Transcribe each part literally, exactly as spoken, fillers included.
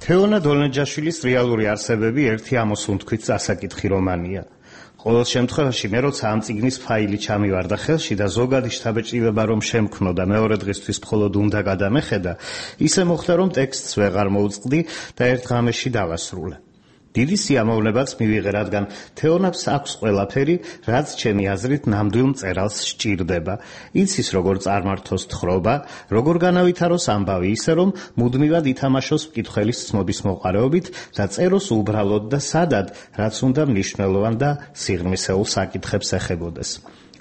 თეონა დოლენჯაშვილის რეალური არსებები ერთი ამოსუნთქვით წასაკითხი რომანია. ყოველ შემთხვევაში მე როცა ამ წიგნის ფაილი ჩამივარდა ხელში და ზოგადი შთაბეჭდილება რომ შემქმნო და მეორე დღისთვის მხოლოდ უნდა გადამეხედა, ისე მოხდა რომ ტექსტს ვეღარ მოვწყდი და ერთ ღამეში დავასრულე. დიდი სიამოვნებაც მივიღე, რადგან თეონას აქვს ყველაფერი, რაც ჩემი აზრით ნამდვილ მწერალს სჭირდება. იცის როგორ წარმართოს თხრობა, როგორ განავითაროს ამბავი, ისე რომ მუდმივად ითამაშოს მკითხველის ცნობის მოყარეობით და წეროს უბრალოდ და სადად, რაც უნდა მნიშვნელოვან და სიღრმისეულ საკითხებს ეხებოდეს.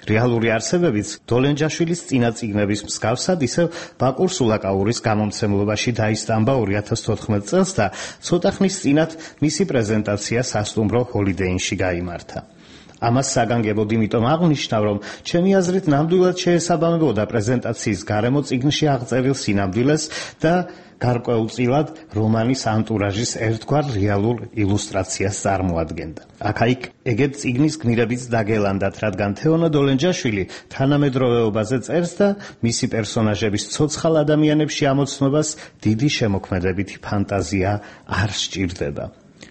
რეალური არსებებიც დოლენჯაშვილის წინა წიგნების მსგავსად ისევ ბაკურ სულაკაურის გამომცემლობაში დაისტამბა ორი ათას თოთხმეტ წელს და ცოტა ხნის წინათ მისი პრეზენტაცია სასტუმრო ჰოლიდეინში გაიმართა. ამას საგანგებოდ იმიტომ აღნიშნავ, რომ ჩემი აზრით ნამდვილად შეესაბამებოდა პრეზენტაციის გარემო წიგნში აღწერილ სინამდვილეს და გარკვეულწილად რომანის ანტურაჟის ერთგვარ რეალურ ილუსტრაციას წარმოადგენდა. აქა-იქ ეგეთ წიგნის გმირებიც დაგელანდათ, რადგან თეონა დოლენჯაშვილი თანამედროვეობაზე წერს და მისი პერსონაჟების ცოცხალ ადამიანებში ამოცნობას დიდი შემოქმედებითი ფანტაზია არ სჭირდება.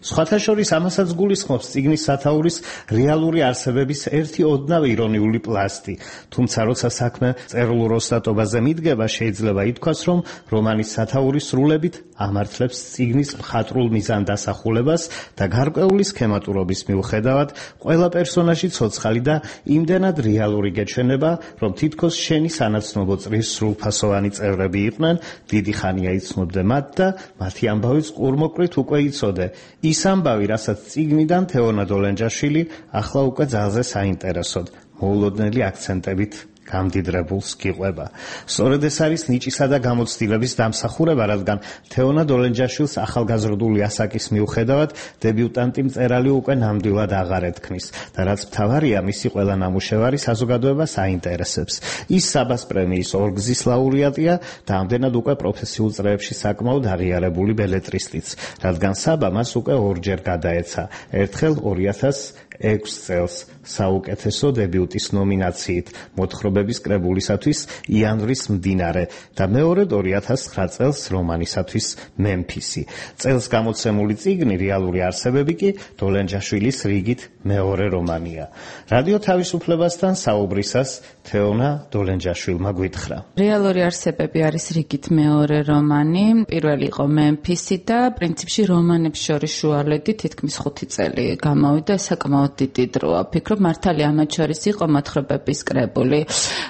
სხვათა შორის ამასაც გულისხმობს წიგნის სათაურის რეალური არსებების ერთი ოდნავ ირონიული პლასტი, თუმცა როცა საქმე წერილურ ოსტატობაზე მიდგება, შეიძლება ითქვას, რომ რომანის სათაური სრულებით ამართლებს წიგნის მხატვრულ მიზანდასახულებას და გარკვეული სქემატურობის მიუხედავად ყველა პერსონაჟი ცოცხალი და იმდენად რეალური გეჩვენება, რომ თითქოს შენი სანაცნობო წრის სრულფასოვანი წევრები იყვნენ, დიდი ხანია იცნობდე მათ და მათი ამბავიც ყურმოყრით უკვე იცოდე. ის ამბავი, რასაც წიგნიდან თეონა დოლენჯაშვილი ახლა უკვე ძალზე საინტერესოდ, მოულოდნელი აქცენტებით გამდიდრებულს გიყვება. სწორედ ეს არის ნიჭისა და გამოცდილების დამსახურება, რადგან თეონა დოლენჯაშვილს ახალგაზრდული ასაკის მიუხედავად დებიუტანტი მწერალი უკვე ნამდვილად აღარ ეთქმის და რაც მთავარია, მისი ყველა ნამუშევარი საზოგადოებას აინტერესებს. ის საბას პრემიის ორგზის ლაურეატია და ამდენად უკვე პროფესიულ წრეებში საკმაოდ აღიარებული ბელეტრისტიც, რადგან საბა მას უკვე ორჯერ გადაეცა, ერთხელ ორი ათას ექვს წელს საუკეთესო დებიუტის ნომინაციით მოთხრობების კრებულისათვის იანვრის მდინარე და მეორედ ორი ათას ცხრა წელს რომანისათვის მემფისი. წელს გამოცემული წიგნი რეალური არსებები კი დოლენჯაშვილის რიგით მეორე რომანია. რადიო თავისუფლებასთან საუბრისას თეონა დოლენჯაშვილმა გვითხრა. რეალური არსებები არის რიგით მეორე რომანი, პირველი იყო მემფისი და პრინციპში რომანებს შორის შუალედი თითქმის ხუთი წელი გამოვიდა, საკმაოდ დიდი დროა. ფიქრობ, მართალია ამათ შორის იყო მოთხრობების კრებული,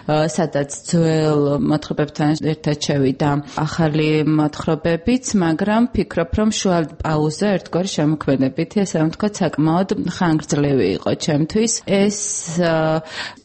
სადაც ძველ მოთხრობებთან ერთად შევიდა ახალი მოთხრობებიც, მაგრამ ფიქრობ, რომ შუალ პაუზა ერთგვარი შემოქმედებითი, ესე რომ ვთქვათ, საკმაოდ ხანგრძლივი იყო ჩემთვის. ეს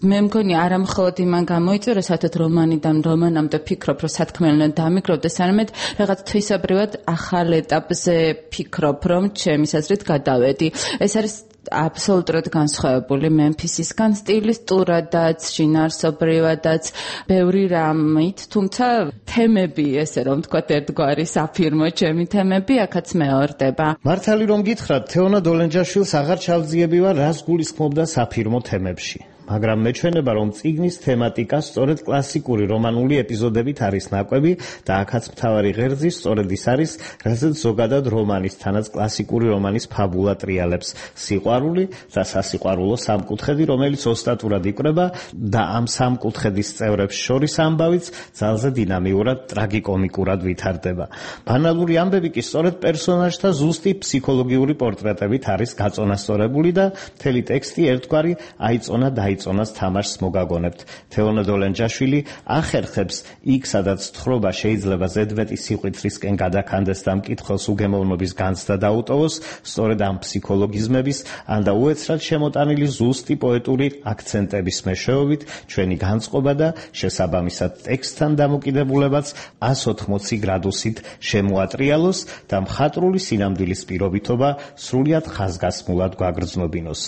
მე მგონი არა მხოლოდ იმან გამოიწვია, საერთოდ რომანიდან რომანამდე ფიქრობ, რომ სათქმელნად დამიკროვდეს, არამედ რაღაც თვისობრივად ახალ ეტაპზე ფიქრობ, რომ ჩემის აზრით გადავედი. ეს არის აბსოლუტურად განსხვავებული მემფისისგან, სტილისტურადაც, შინაარსობრივადაც, ბევრი რამით, თუმცა თემები, ესე რომ ვთქვათ, ერთგვარი საფირმო ჩემი თემები აქაც მეორდება. მართალი რომ გითხრათ, თეონა დოლენჯაშვილს აღარ ჩავძიებივარ, რას გულისხმობდა საფირმო თემებში. მაგრამ მეჩვენება, რომ წიგნის თემატიკა სწორედ კლასიკური რომანული ეპიზოდებით არის ნაკვები და აქაც მთავარი ღერძი სწორედ ის არის, რასაც ზოგადად რომანის, თანაც კლასიკური რომანის ფაბულა ტრიალებს: სიყვარული და სასიყვარულო სამკუთხედი, რომელიც ოსტატურად იკვრება და ამ სამკუთხედის წევრებს შორის ამბავიც ძალზე დინამიურად, ტრაგიკომიკურად ვითარდება. ბანალური ამბები კი სწორედ პერსონაჟთა ზუსტი ფსიქოლოგიური პორტრეტებით არის გაწონასწორებული და მთელი ტექსტი ერთგვარი აიწონა და იწონას თამაშს მოგაგონებთ. თეონა დოლენჯაშვილი ახერხებს იქ, სადაც თხრობა შეიძლება ზედმეტი სიყვიტრისკენ გადაქანდეს და მკითხველს უგემოვნობის განცდა დაუტოვოს, სწორედ ამ ფსიქოლოგიზმების ან და უეცრად შემოტანილი ზუსტი პოეტური აქცენტების მეშვეობით ჩვენი განწყობა და შესაბამისად ტექსტთან დამოკიდებულებაც ას ოთხმოცი გრადუსით შემოატრიალოს და მხატვრული სინამდვილის პირობითობა სრულიად ხაზგასმულად გვაგრძნობინოს.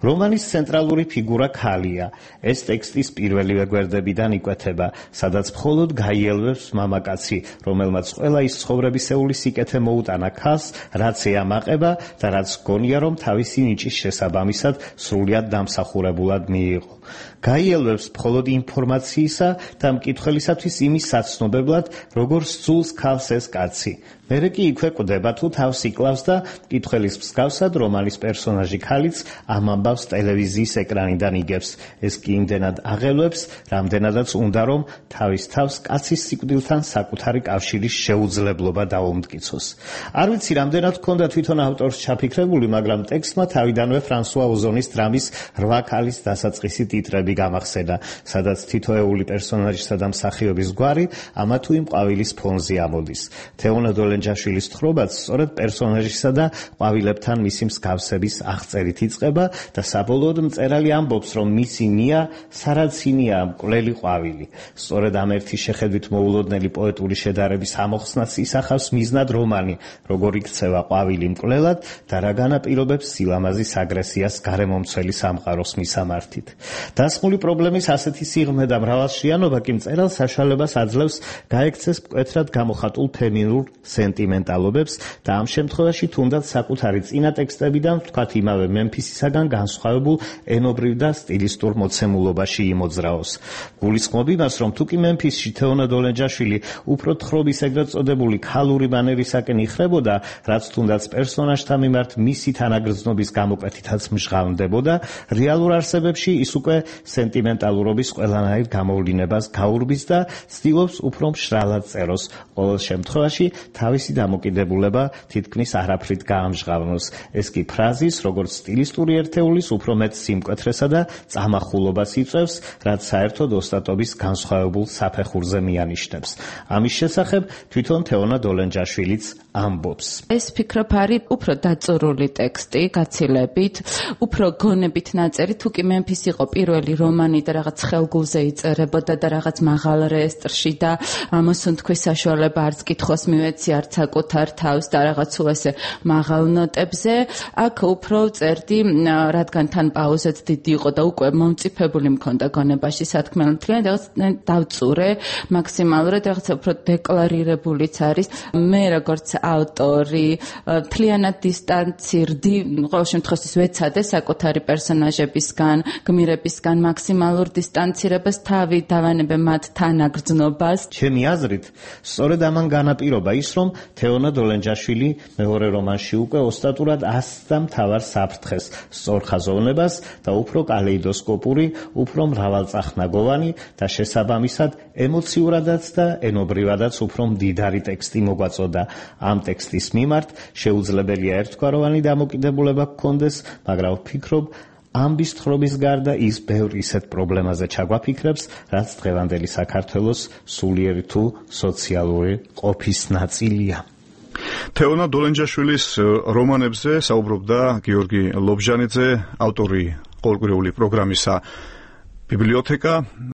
რომანის ცენტრალური ფიგურა ხალია. ეს ტექსტის პირველივე გვერდებიდან იკვეთება, სადაც მხოლოდ გაიელვებს მამაკაცი, რომელმაც ყველა ის ცხოვრებისეული სიკეთე მოუტანა ქალს, რაც ეამაყება და რაც გონია, რომ თავისი ნიჭის შესაბამისად სრულიად დამსახურებულად მიიღო. გაიელვებს მხოლოდ ინფორმაციისა და მკითხველისათვის იმის საცნობებლად, როგორ სძულს ქალს ეს კაცი. მერე კი იქვე კვდება თუ თავს იკლავს და კითხველის მსგავსად რომანის პერსონაჟი ქალიც ამ ამბავს ტელევიზიის ეკრანიდან იგებს. ეს კი იმდენად აღელვებს, რამდენადაც უნდა რომ თავის თავს კაცის სიკვდილთან საკუთარი კავშირის შეუძლებლობა დაუმტკიცოს. არ ვიცი რამდენად ჰქონდა თვითონ ავტორს ჩაფიქრებული, მაგრამ ტექსტმა თავიდანვე ფრანსუა ოზონის დრამის რვა ქალის დასაწყისი ტიტრები გამახსენა, სადაც თითოეული პერსონაჟისა და მსახიობის გვარი ამა თუ იმ ყვავილის ფონზე ამოდის. თეონა დოლენჯაშვილის თხრობაც სწორედ პერსონაჟისა და ყვავილებთან მისი მსგავსების აღწერით იწყება და საბოლოოდ მწერალი ამბობს, რომ მისი ნია სარაცინია მკვლელი ყვავილი. სწორედ ამ ერთი შეხედვით მოულოდნელი პოეტური შედარების ამოხსნას ისახავს მიზნად რომანი, როგორ იქცევა ყვავილი მკვლელად და რა განაპირობებს სილამაზის აგრესიას გარემომცველი სამყაროს მისამართით. დასმული პრობლემის ასეთი სიღრმე და მრავალშრიანობა კი მწერალს საშუალებას აძლევს გაექცეს მკვეთრად გამოხატულ ფემინურ სენტიმენტალობებს და ამ შემთხვევაში თუნდაც საკუთარი წინა ტექსტებიდან, ვთქვათ იმავე მემფისისაგან განსხვავებულ ენობრივ და სტილისტურ მოცემულობაში იმოძრაოს. გულისხმობ იმას, რომ თუკი მემფისში თეონა დოლენჯაშვილი უფრო თხრობის ეგრეთ წოდებული ქალური მანერისაკენ იხრებოდა, რაც თუნდაც პერსონაჟთა მიმართ მისი თანაგრძნობის გამოკვეთითაც მჟღავნდებოდა, რეალურ არსებებში ის უკვე სენტიმენტალურობის ყველანაირ გამოვლინებას გაურბის და ცდილობს უფრო მშრალად წეროს, ყოველ შემთხვევაში თავისი დამოკიდებულება თითქმის არაფრით გაამჟღავნოს. ეს კი ფრაზის, როგორც სტილისტური ერთეულის უფრო მეტ სიმკვეთრესა და წამახულობას იწვევს, რაც საერთოდ ოსტატობის განსხვავებულ საფეხურზე მიანიშნებს. ამის შესახებ თვითონ თეონა დოლენჯაშვილიც ამბობს. ეს ფიქრობ არის უფრო დაწურული ტექსტი, გაცილებით, უფრო გონებით ნაწერი, თუ კი მემფის იყო პირველი რომანი და რაღაც ხელგულზე იწერებოდა და რაღაც მაღალ რეესტრში და მოსუნთქვის საშუალება არც კითხოს მივეცი, არც საკუთარ თავს და რაღაც უესე მაღალ ნოტებზე. აქ უფრო წერდი, რადგან თან პაუზაც დიდი იყო და უკვე მომწიფებული მქონდა გონებაში სათქმელად, რაღაც დავწურე მაქსიმალურად, რაღაც უფრო დეკლარირებულიც არის. მე როგორც ავტორი მთლიანად დისტანცირდი, ყოველ შემთხვევაში ვეცადე საკუთარი პერსონაჟებისგან, გმირებისგან მაქსიმალურ დისტანცირებას, თავი დავანებე მათ თანაგრძნობას. ჩემი აზრით, სწორედ ამან განაპირობა ის, რომ თეონა დოლენჯაშვილი მეორე რომანში უკვე ოსტატურად ასწდა მთავარ საფრთხეს, სწორხაზოვნებას და უფრო კალეიდოსკოპური, უფრო მრავალწახნაგოვანი და შესაბამისად ემოციურადაც და ენობრივადაც უფრო მდიდარი ტექსტი მოგვაწოდა. ამ ტექსტის მიმართ შეუძლებელია ერთგვაროვანი დამოკიდებულება გქონდეს, მაგრამ ვფიქრობ, ამბის თხრობის გარდა ის ბევრ ისეთ პრობლემაზე ჩაგვაფიქრებს, რაც დღევანდელი საქართველოს სულიერი თუ სოციალური ყოფის ნაწილია. თეონა დოლენჯაშვილის რომანებზე საუბრობდა გიორგი ლობჟანიძე, ავტორი ყოველკვირეული პროგრამისა ბიბლიოთეკა.